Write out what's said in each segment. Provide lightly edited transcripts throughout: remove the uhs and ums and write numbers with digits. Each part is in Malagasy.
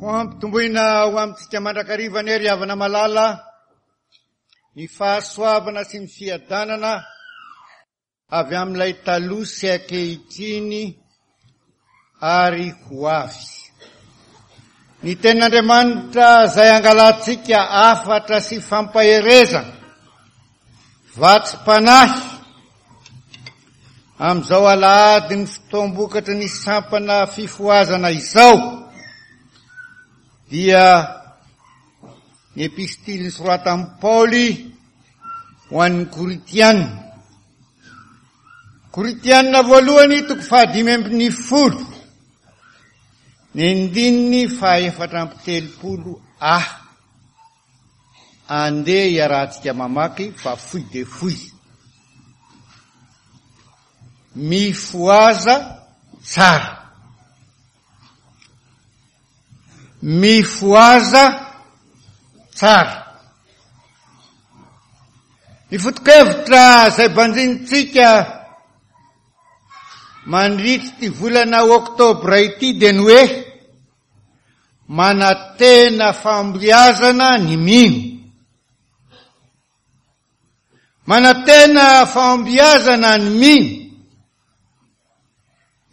Ho ampitomboina ho amintsika mandrakariva anie ry havana malala ny fahasoavana sy ny fiadanana avy amin'ilay taloha sy ankehitriny ary ho avy. Ny tenin'Andriamanitra izay angalantsika hafatra sy fampaherezana, vatsim-panahy, amin'izao alahadin'ny fotoam-bokatry ny sampana fifohazana izao, dia ny epistily nosoratan'i Paoly ho an'ny Korintiana. Korintiana voalohany toko faha-15, ny andininy faha-34 a. Andeha iarahantsika mamaky fa fohy dia fohy. Mifohaza tsara. Mifohaza tsara. Ny foto-kevitra izay banjinintsika mandritra ity volana oktobra ity dia ny hoe manantena fahombiazana ny mino. Manantena fahombiazana ny mino.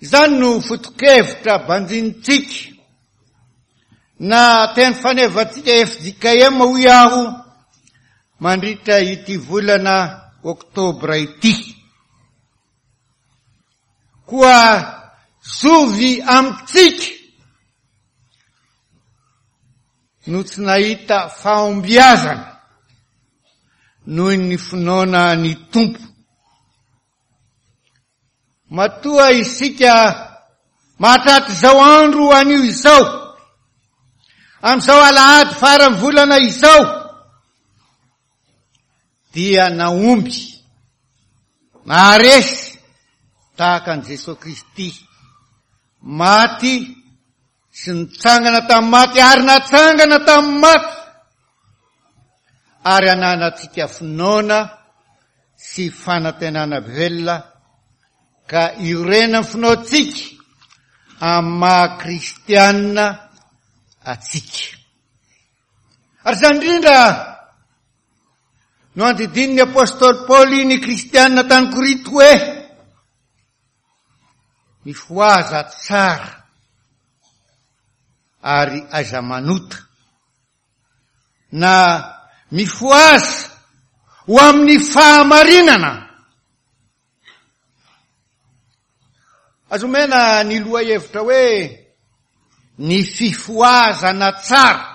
Izany no foto-kevitra banjinintsika na teny fanevantsika fjkm hoy aho mandritra ity volana oktobra ity. Koa zovy amintsika no tsy nahita fahombiazana noho ny finoana ny Tompo. Matoa isika mahatratra izao andro anio izao, amin'izao alahady faran'ny volana izao, dia nahomby, naharesy tahaka an'i Jesoa Kristy, maty sy nitsangana tamin'ny maty ary natsangana tamin'ny maty, ary ananantsika finoana sy fanantenana velona ka iorenan'ny finoantsika amin'ny maha kristianina antsika. Ary izany indrindra no andidian'ny apostoly Paoly ny kristianina tany Korinto hoe mifohaza tsara ary aiza manota na mifohaza ho amin'ny fahamarinana. Azo omena ny lohahevitra hoe ny fifohazana tsara.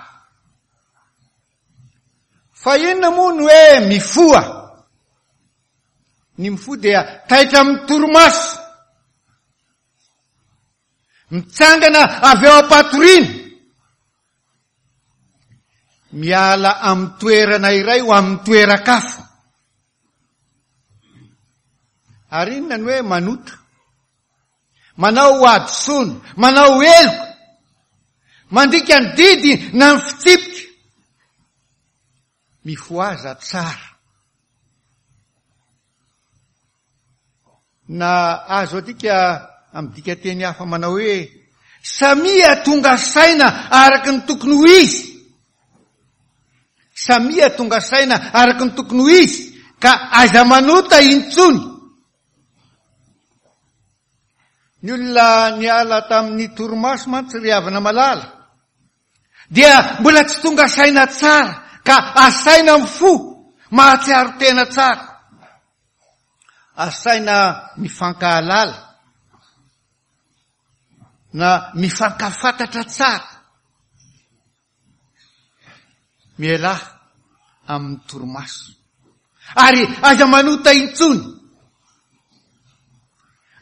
Fa inona moa ny hoe mifoha? Ny mifoha dia taitra amin'ny torimaso. Mitsangana avy eo am-patoriana. Miala amin'ny toerana iray ho amin'ny toeran-kafa. Ary inona ny hoe manota? Manao hadisoana, manao heloka, mandika ny didy na ny fitsipika. Mifohaza tsara. Na azo adika amin'ny dikanteny hafa manao hoe samia tonga saina araka ny tokony ho izy. Samia tonga saina araka ny tokony ho izy ka aiza manota intsony. Ny olona niala tamin'ny torimaso mantsy ry havana malala dia mbola tsy tonga saina tsara ka asaina mifoha mahatsiaro tena tsara. Asaina mifankahalala na mifankafantatra tsara. Mialà amin'ny torimaso ary aza manota intsony.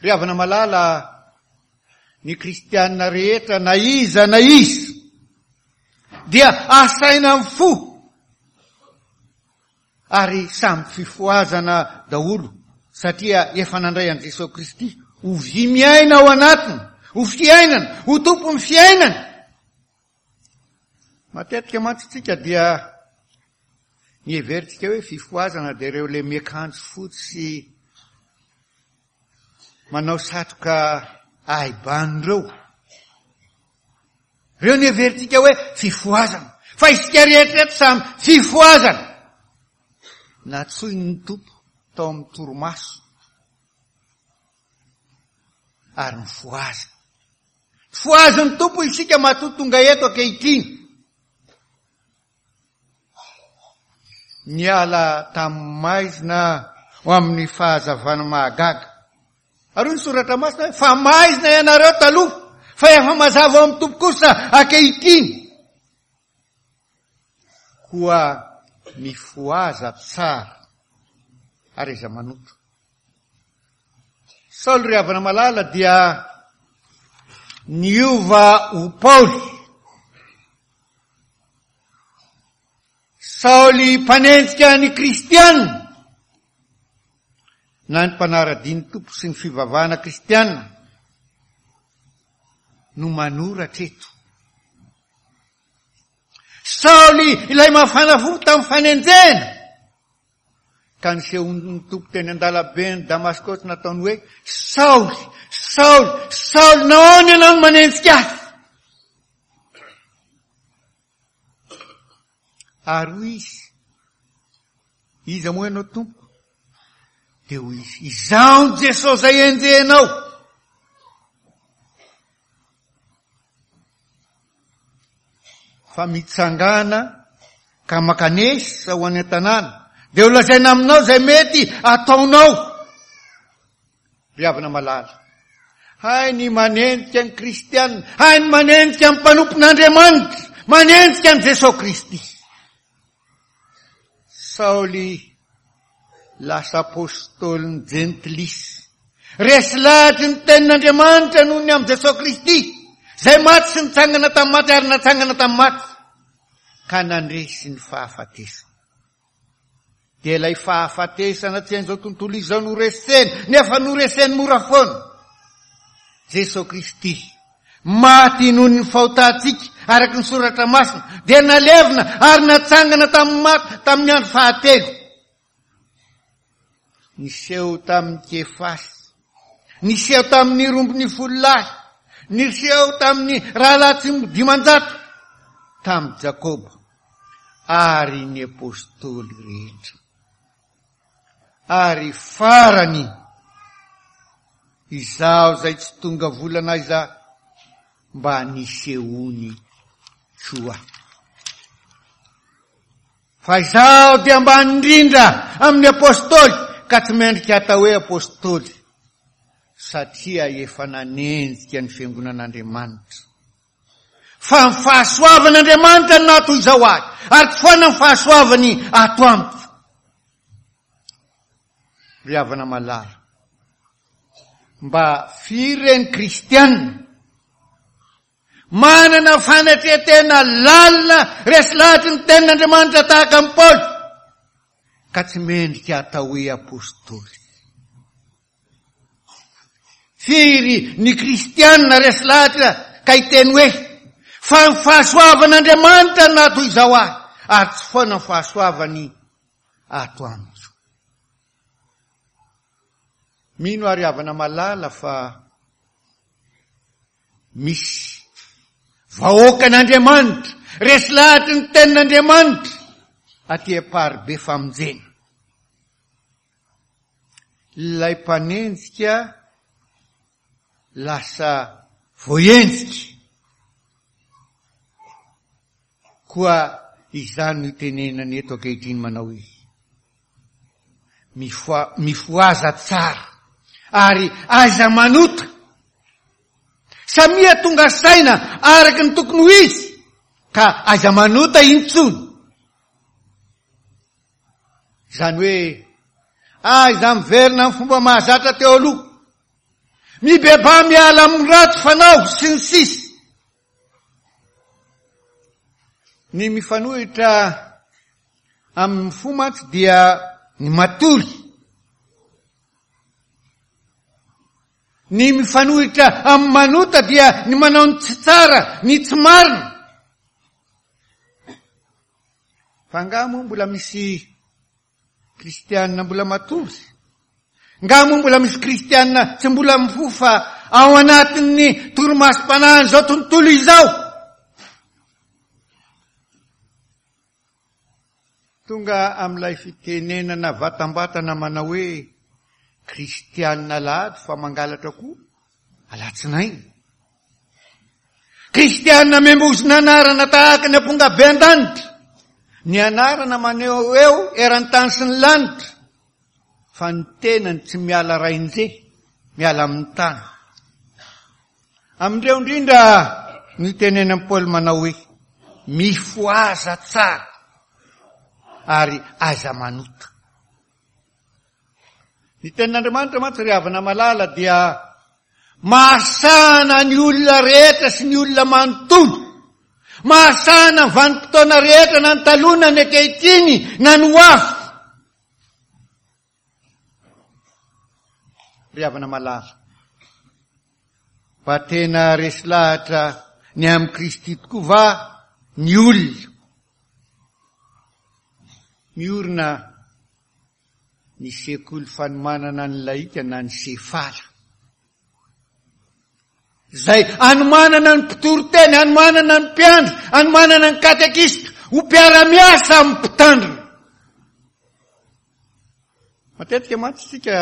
Ry havana malala, ny kristiana rehetra na iza na iza dia asaina amin'ny fo ary samy fifohazana daholo satria efa nandray an'i Jesoa Kristy ho vy miaina ao anatiny, ho fiainana, ho tompon'ny fiainana. Matetika mantsy tsika dia ny heverintsika hoe fifohazana dia ireo le miakanjo fotsy sy manao satroka ahibano ireo. Ireo no heverintsika hoe fifohazana. Fa isika rehetra eto samy fifohazana. Natsoin'ny Tompo tao amin'ny torimaso ary nifohazina. Fohazin'ny Tompo isika matoa tonga eto ankehitriny. Niala tamin'ny maizina ho amin'ny fahazavana mahagaga. Ary hoy ny soratra masina hoe, fa maizina ianareo taloha, fa efa mazava ao amin'ny Tompo kosa ankehitriny. Koa mifohaza tsara ary aiza manota. Saoly ry havana malala dia niova ho Paoly. Saoly mpanenjika ny kristiana na ny mpanara-dia ny Tompo sy ny fivavahana kristiana no manoratra eto. Saoly ilay mafana fo tamin'ny fanenjehana ka nisehoan'ny Tompo teny an-dalaben'i Damaskosy nataony hoe, Saoly, Saoly, Saoly, nahoana ianao no manenjika ahy? Ary hoy izy, Iza moa ianao Tompoko? Dia hoy izy, Izaho ny Jesosy izay enjehinao. Fa mitsangàna ka mankanesa ho any an-tanàna, dia ho lazaina aminao izay mety ataonao. Ry havana malala, hay ny manenjika ny kristiana, hay ny manenjika ny mpanompon'Andriamanitra, manenjika an'i Jesosy Kristy. Saoly lasa apostolin'ny jentilisa. Resy lahatry ny tenin'Andriamanitra noho ny amin'i Jesosy Kristy, izay maty sy nitsangana tamin'ny maty ary natsangana tamin'ny maty, ka nandresy ny fahafatesana. Dia ilay fahafatesana tsy hain'izao tontolo izao noreseny, nefa noreseny mora foana. Jesosy Kristy, maty noho ny fahotantsika, araka ny soratra masina, dia nalevina ary natsangana tamin'ny maty tamin'ny andro fahatelo. Niseho tamin'i Kefasy, niseho tamin'ny 12 lahy, niseho tamin'ny rahalahy tsy 500, tamin'i Jakoba ary ny apostoly rehetra. Ary farany, izaho izay tsy tonga volana aiza mba nisehoany koa. Fa izaho dia ambany indrindra amin'ny apostoly ka tsy mendrika atao hoe apostoly satria efa nanenjika ny fiangonan'Andriamanitra. Fa ny fahasoavan'Andriamanitra no naha toy izao ahy, ary tsy foana ny fahasoavany ato amiko. Ry havana malala, mba firy re ny kristianina manana fanetren-tena lalina resy lahatry ny tenin'Andriamanitra tahaka an'i Paoly, ka tsy mendrika atao hoe apostoly. Firy ny kristianina resy lahatra ka hiteny hoe, Fa ny fahasoavan'Andriamanitra no naha toy izao ahy, ary tsy foana ny fahasoavany ato amiko. Mino ary havana malala fa misy vahoakan'Andriamanitra resy lahatry ny tenin'Andriamanitra aty Amparibe famonjena. Ilay mpanenjika lasa voaenjika. Koa izany no itenenany eto ankehitriny manao hoe, Mifoha, mifohaza tsara ary aiza manota. Samia tonga saina araka ny tokony ho izy ka aiza manota intsony. Izany hoe, aiza miverina amin'ny fomba mahazatra teo aloha. Mibebaha miala amin'ny ratsy fanao sy ny sisa. Ny mifanohitra amin'ny fo mantsy dia ny matory. Ny mifanohitra amin'ny manota dia ny manao ny tsy tsara, ny tsy marina. Fa angaha moa mbola misy kristianina mbola matory? Angaha moa mbola misy kristianina tsy mbola mifoha fa ao anatin'ny torimasom-panahin'izao tontolo izao? Tonga amin'ilay fitenenana vatambatana manao hoe kristianina alahady fa mangalatra koa alatsinainy. Kristianina membozona anarana tahaka ny ampongabe an-danitra. Ny anarana maneho eo eran'ny tany sy ny lanitra. Fa ny tenany tsy miala rainje, miala amin'ny tany. Amin'ireo indrindra no itenenan'i Paoly manao hoe, Mifohaza tsara ary aza manota. Ny tenin'Andriamanitra mantsy ry havana malala dia mahasahana ny olona rehetra sy ny olona manontolo. Mahasahana ny vanim-potoana rehetra na ny taloha na ny ankehitriny na ny ho avy. Ry havana malala, fa tena resy lahatra ny amin'i Kristy tokoa va ny olona? Miorina ny sekoly fanomanana ny lahika na ny sefala. Izay anomanana ny mpitory teny, anomanana ny mpiandry, anomanana ny katekista ho mpiara-miasa amin'ny mpitandrina. Matetika mantsy isika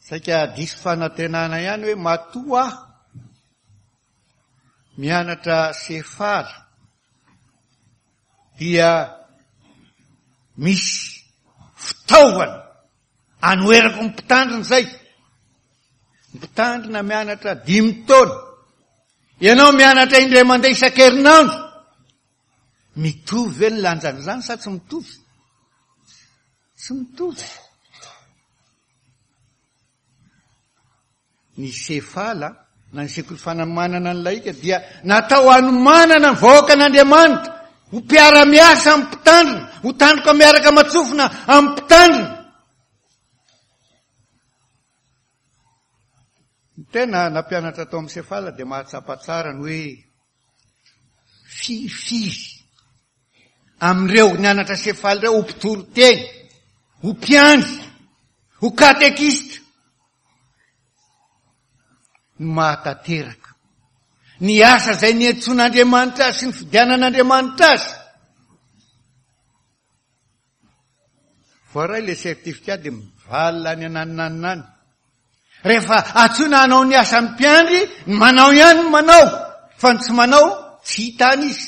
saika diso fanantenana ihany hoe matoa aho mianatra sefala dia misy fitaovana anoherako ny mpitandrina izay. Ny mpitandrina mianatra dimy taona. Ianao mianatra indray mandeha isan-kerinandro. Mitovy ve ny lanjan'izany sa tsy mitovy? Tsy mitovy. Ny sefala na ny sekoly fanomanana ny lahika dia natao hanomanana ny vahoakan'Andriamanitra ho mpiara-miasa amin'ny mpitandrina, ho tandroka miaraka aman-tsofina amin'ny mpitandrina. Ny tena nampianatra tao amin'ny sefala dia mahatsapa tsara ny hoe Firifiry amin'ireo nianatra sefaly ireo ho mpitory teny, ho mpiandry, ho katekista no mahatanteraka ny asa izay niantsoan'Andriamanitra azy sy nifidianan'Andriamanitra azy. Voaray ilay certificat dia mivalona any ananonanona any. Rehefa antsoina hanao ny asan'ny mpiandry, ny manao ihany ny manao, fa ny tsy manao tsy hita any izy.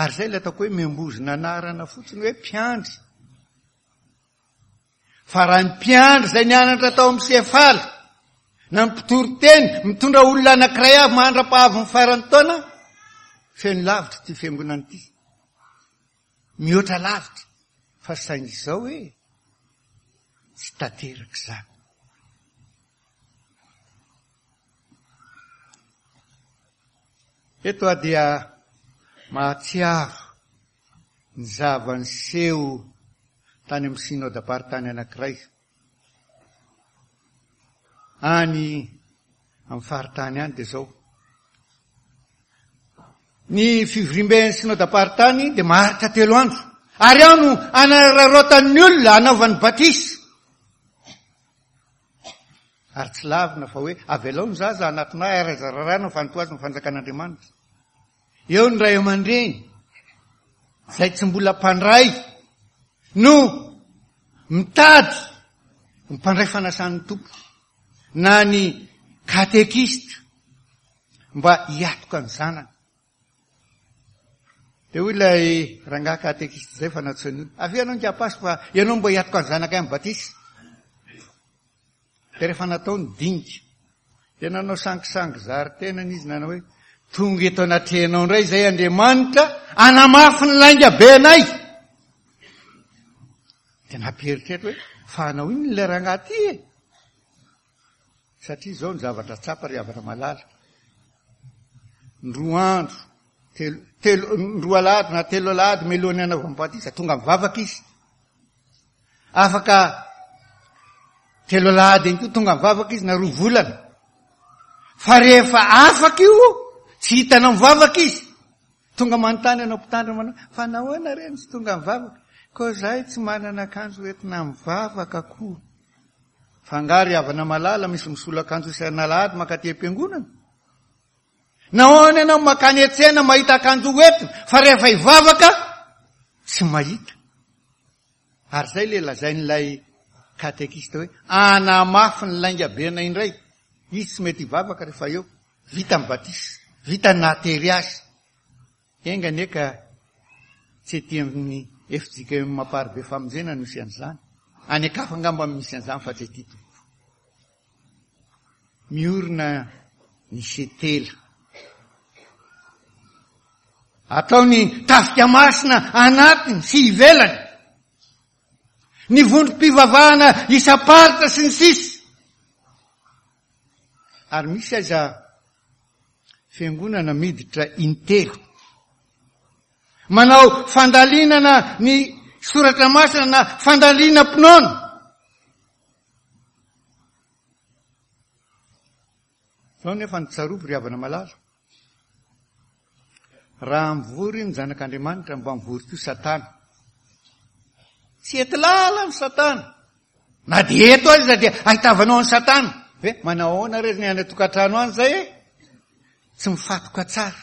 Ary izay ilay ataoko hoe miambozona anarana fotsiny hoe mpiandry. Fa raha ny mpiandry izay nianatra tao amin'ny sefaly na ny mpitory teny mitondra olona anankiray avy mandra-pahavin'ny faran'ny taona, feno lavitra ity fiangonana ity. Mihoatra lavitra fa saingy izao hoe tsy tanteraka izany. Eto aho dia mahatsiaro ny zava-niseho tany amin'ny synodam-paritany anankiray any amin'ny faritany any dia izao. Ny fivoriamben'ny synodam-paritany dia maharitra telo andro ary ao no anararaotan'ny olona anaovany batisa. Ary tsy lavina fa hoe avelao ny zaza hanatona ahy ary aza raràna fa antohazo ny fanjakan'Andriamanitra. Eo ny ray aman-dreny izay tsy mbola mpandray no mitady ny mpandray fanasan'ny Tompo na ny katekista mba hiatoka ny zanany. Dia hoy ilay rangahy katekista izay fa nantsoin'ny olona, avia ianao ingahy fa ianao mba hiatoka ny zanakay amin'ny batisa. Dia rehefa natao ny dinika, dia nanao sangisangy zary tenany izy nanao hoe, tonga eto anatrehanao indray izay Andriamanitra hanamafy ny lainga be anay. Dia nampieritreritra hoe, fa hanao inona ilay rangahy ity e? Satria izao ny zavatra tsapa ry havana malala. Ny roa andro, telo, telo, ny roa alahady na telo alahady mialohan'ny hanaovany batisa, tonga mivavaka izy. Afaka telo alahady ihany koa tonga mivavaka izy na roa volana. Fa rehefa afaka io, tsy hitanao mivavaka izy. Tonga manontany anao mpitandrina manao, fa nahoana re no tsy tonga mivavaka? Koa zahay tsy manana akanjo hoentina mivavaka koa. Fa angaha ry havana malala misy misolo akanjo isan'alahady mankaty am-piangonana? Nahoana ianao makany an-tsena mahita akanjo hoentina fa rehefa hivavaka tsy mahita? Ary izay ilay lazain'ilay katekista hoe hanamafy ny lainga bena indray. Izy tsy mety hivavaka rehefa eo. Vita ny batisa, vita ny nahatery azy. Enga anie ka tsy ety amin'ny fjkm Amparibe Famonjena no misy an'izany. Any an-kafa angamba no misy an'izany fa tsy ety tompoko. Miorina ny setela. Atao ny tafika masina anatiny sy ivelany. Ny vondrom-pivavahana isam-paritra sy ny sisa. Ary misy aza fiangonana miditra intelo. Manao fandalinana ny soratra masina na fandalinam-pinoana. Zao nefa ny tsarovy ry havana malala. Raha mivory ny zanak'Andriamanitra mba mivory koa Satana. Tsy ety lalana Satana. Na dia eto aza dia ahitavanao an'i Satana. Hoe manao ahoana re ny any an-tokantrano any izay e? Tsy mifatoka tsara.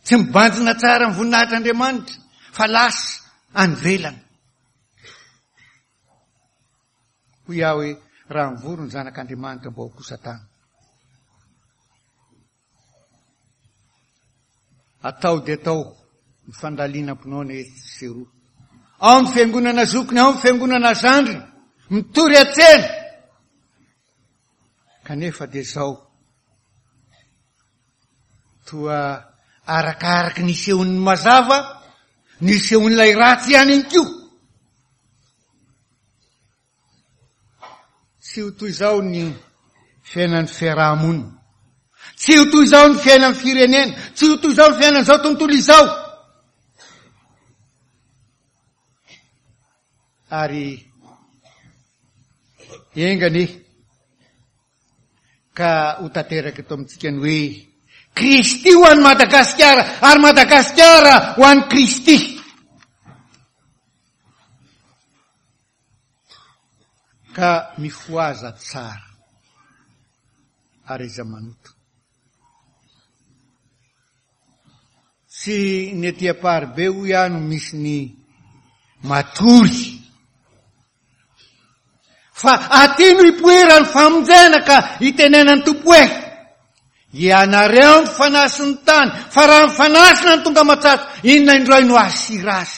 Tsy mibanjina tsara ny voninahitr'Andriamanitra fa lasa any ivelany. Hoy aho hoe, raha mivory ny zanak'Andriamanitra mba ho koa Satana. Atao dia atao ny fandalinam-pinoana etsy sy eroa. Ao amin'ny fiangonana zokiny, ao amin'ny fiangonana zandriny, mitory an-tsena. Kanefa dia izao, toa arakaraky ny isehon'ny mazava, ny isehon'ilay ratsy ihany koa. Tsy ho toy izao ny fiainan'ny fiaraha-monina. Tsy ho toy izao ny fiainan'ny firenena. Tsy ho toy izao ny fiainan'izao tontolo izao. Ary enga anie ka ho tanteraka eto amintsika ny hoe Kristy ho an'i Madagasikara ary Madagasikara ho an'i Kristy. Ka mifohaza tsara ary aiza manota. Tsy ny ety Amparibe hoy aho no misy ny matory. Fa aty no ipoiran'ny famonjena ka itenenan'ny Tompo hoe, Ianareo ny fanahy sy ny tany, fa raha ny fanasina no tonga matsatso, inona indray no hahasira azy?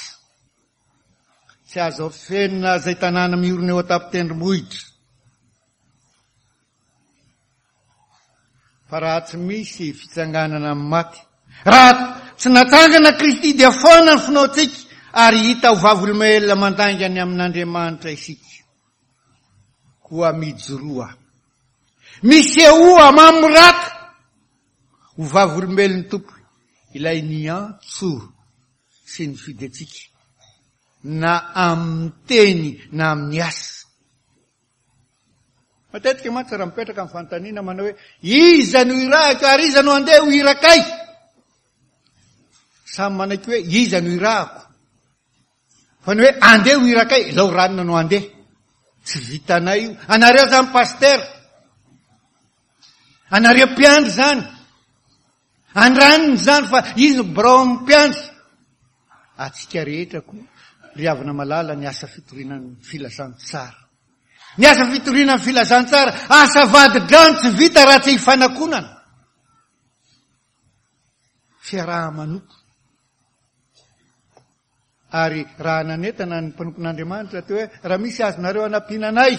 Tsy azo afenina izay tanàna miorina eo an-tampon-tendrombohitra. Fa raha tsy misy fitsanganana amin'ny maty, raha tsy natsangana Kristy dia foana ny finoantsika ary hita ho vavolombelona mandainga ny amin'Andriamanitra isika. Koa mijoroa. Misehoa mamorata ho vavolombelon'ny Tompo ilay niantso sy nifidy antsika na amin'ny teny na amin'ny asa. Matetika mantsy raha mipetraka ny fanontaniana manao hoe iza no irahiko ary iza no handeha ho irakay? Samy manaiky hoe iza no irahako. Fa ny hoe andeha ho irakay, izao ranona no andeha. Tsy vitanay io. Anareo zany pasitera. Anareo mpiandry zany. Andraniny izany fa izy no birao amin'ny mpiandry. Atsika rehetra koa ry havana malala ny asa fitoriana ny filazantsara. Ny asa fitoriana ny filazantsara, asa vadi-drano tsy vita raha tsy ifanakonana. Fiaraha-manompo. Ary raha nanentana ny mpanompon'Andriamanitra teo hoe raha misy azonareo anampiana anay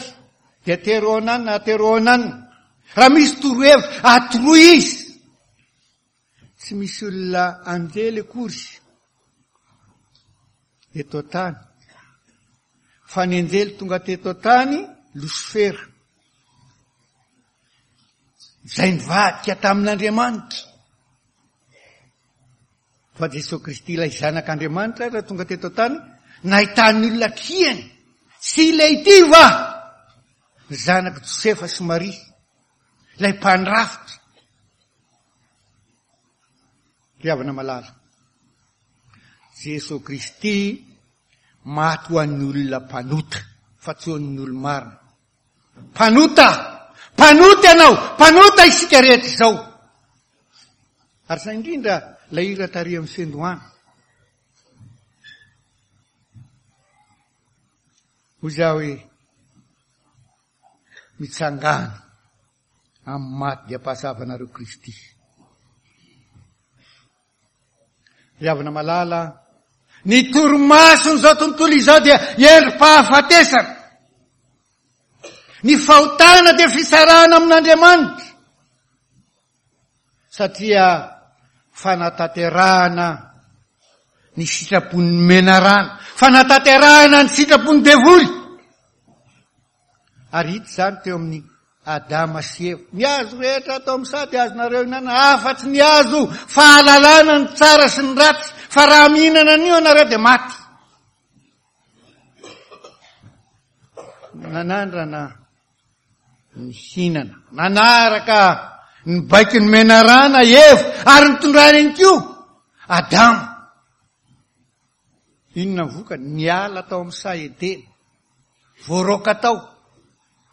dia atero ananina, atero ananina. Raha misy torohevitra, atoroy izy. Tsy misy olona anjely akory eto an-tany. Fa ny anjely tonga teto an-tany, Losifera. Izay nivadika tamin'Andriamanitra. Fa Jesoa Kristy ilay Zanak'Andriamanitra raha tonga teto an-tany, nahitan'ny olona kiany. Tsy ilay ity va? Zanak'i Josefa sy Maria, ilay mpandrafitra. Ry havana malala, Jesoa Kristy maty ho an'ny olona mpanota, fa tsy ho an'ny olo-marina. Mpanota! Mpanota ianao! Mpanota isika rehetra izao! Ary sa indrindra ilay hira tary amin'ny fiandohana. Hoy izaho hoe, mitsangàna amin'ny maty dia ampahasavanareo Kristy. Ry havana malala, ny torimason'izao tontolo izao dia endri-pahafatesana. Ny fahotana dia fisarahana amin'Andriamanitra. Satria fanatanterahana ny sitrapon'ny menarana, fanatanterahana ny sitrapon'ny devoly. Ary hita izany teo amin'ny Adama sy Eva. Ny hazo rehetra ato amin'ny saha dia azonareo ihinanana, afa-tsy ny hazo fahalalana ny tsara sy ny ratsy, fa raha mihinana an'io ianareo dia maty. Nanandrana nihinana, nanaraka ny baikon'ny menarana Eva ary nitondrany ihany koa Adama. Inona ny vokany? Niala tao amin'ny saha Edena, voaroaka tao,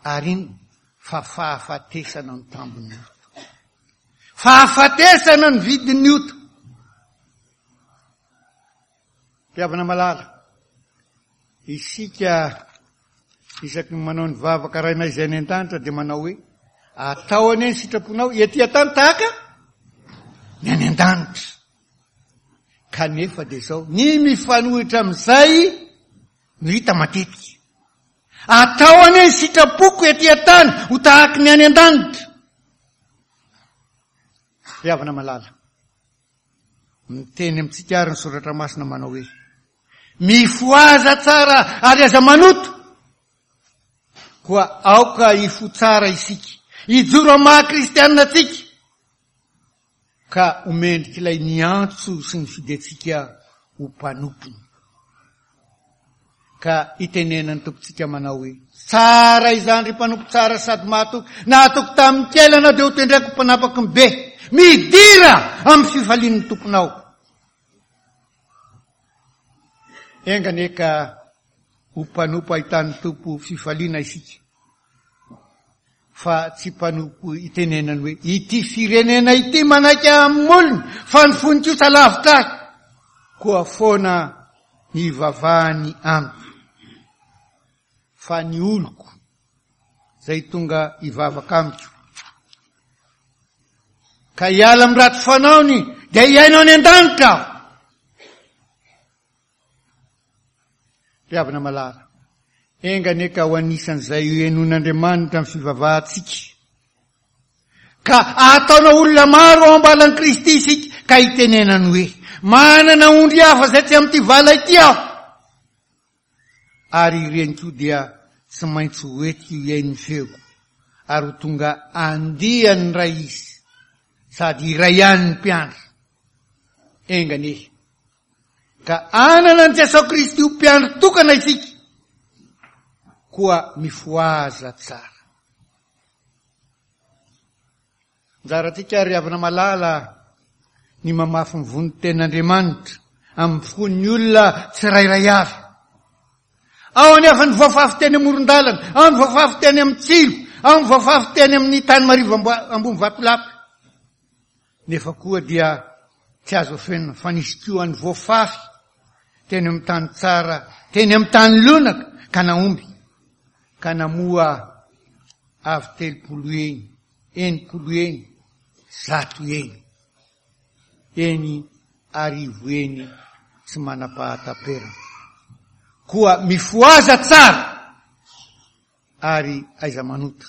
ary inona? Fa fahafatesana ny tambin'ny ota. Fahafatesana ny vidin'ny ota. Mpihavana malala, isika isaky ny manao ny vavaka Rainay izay any an-danitra dia manao hoe, atao anie ny sitraponao ety an-tany tahaka ny any an-danitra. Kanefa dia izao, ny mifanohitra amin'izay no hita matetika. Atao anie ny sitrapoko ety an-tany ho tahaky ny any an-danitra. Ry havana malala, miteny amintsika ary ny soratra masina manao hoe, mifohaza tsara ary aza manoto. Koa aoka hifoha tsara isika, hijoro amin'ny maha kristianina antsika. Ka ho mendrik'ilay niantso sy nifidy antsika ho mpanompony. Ka itenenan'ny Tompontsika manao hoe, Tsara izany ry mpanompo tsara sady mahatoky, nahatoky tamin'ny kely ianao dia hotendreko ho mpanapaky ny be. Midira amin'ny fifalian'ny Tomponao. Enga anie ka ho mpanompo ahitan'ny Tompo fifaliana isika. Fa tsy mpanompo itenenany hoe, Ity firenena ity manaiky ahy amin'ny molony, fa ny fony kosa lavitra ahy. Koa foana ny hivavahany amiko. Fa ny oloko izay tonga hivavaka amiko, ka hiala amin'ny ratsy fanaony, dia hiaina any an-danitra aho. Ry havana malala, enga anie ka ho anisan'izay henoin'Andriamanitra ny fivavahantsika, ka ahataona olona maro ao am-balan'i Kristy isika, ka hitenenany hoe, Manana ondry hafa izay tsy amin'ity vala ity aho. Ary ireny koa dia tsy maintsy ho entiko hihaino ny feoko, ary ho tonga andiany iray izy, sady iray ihany ny mpiandry. Enga anie Ka hanana an'i Jesoa Kristy ho mpiandry tokana isika, koa mifohaza tsara. Anjarantsika ry havana malala ny mamafy ny vonin-tenin'Andriamanitra amin'ny fon'ny olona tsirairay avy. Ao anefa ny voafafy teny amoron-dalana, ao ny voafafy teny amin'ny tsilo, ao ny voafafy teny amin'ny tany marivo ambony vatolampy. Nefa koa dia tsy azo afenina fa nisy koa ny voafafy teny amin'ny tany tsara, teny amin'ny tany lonaka ka nahomby, ka namoa avy 30 eny, 60 eny, 100 eny, eny 1000 eny tsy manam-pahataperana. Koa mifohaza tsara! ary aiza manota.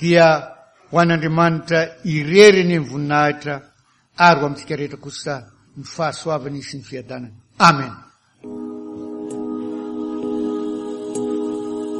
Dia ho an'Andriamanitra irery anie ny voninahitra ary ho amintsika rehetra kosa ny fahasoavany sy ny fiadanany. Amen.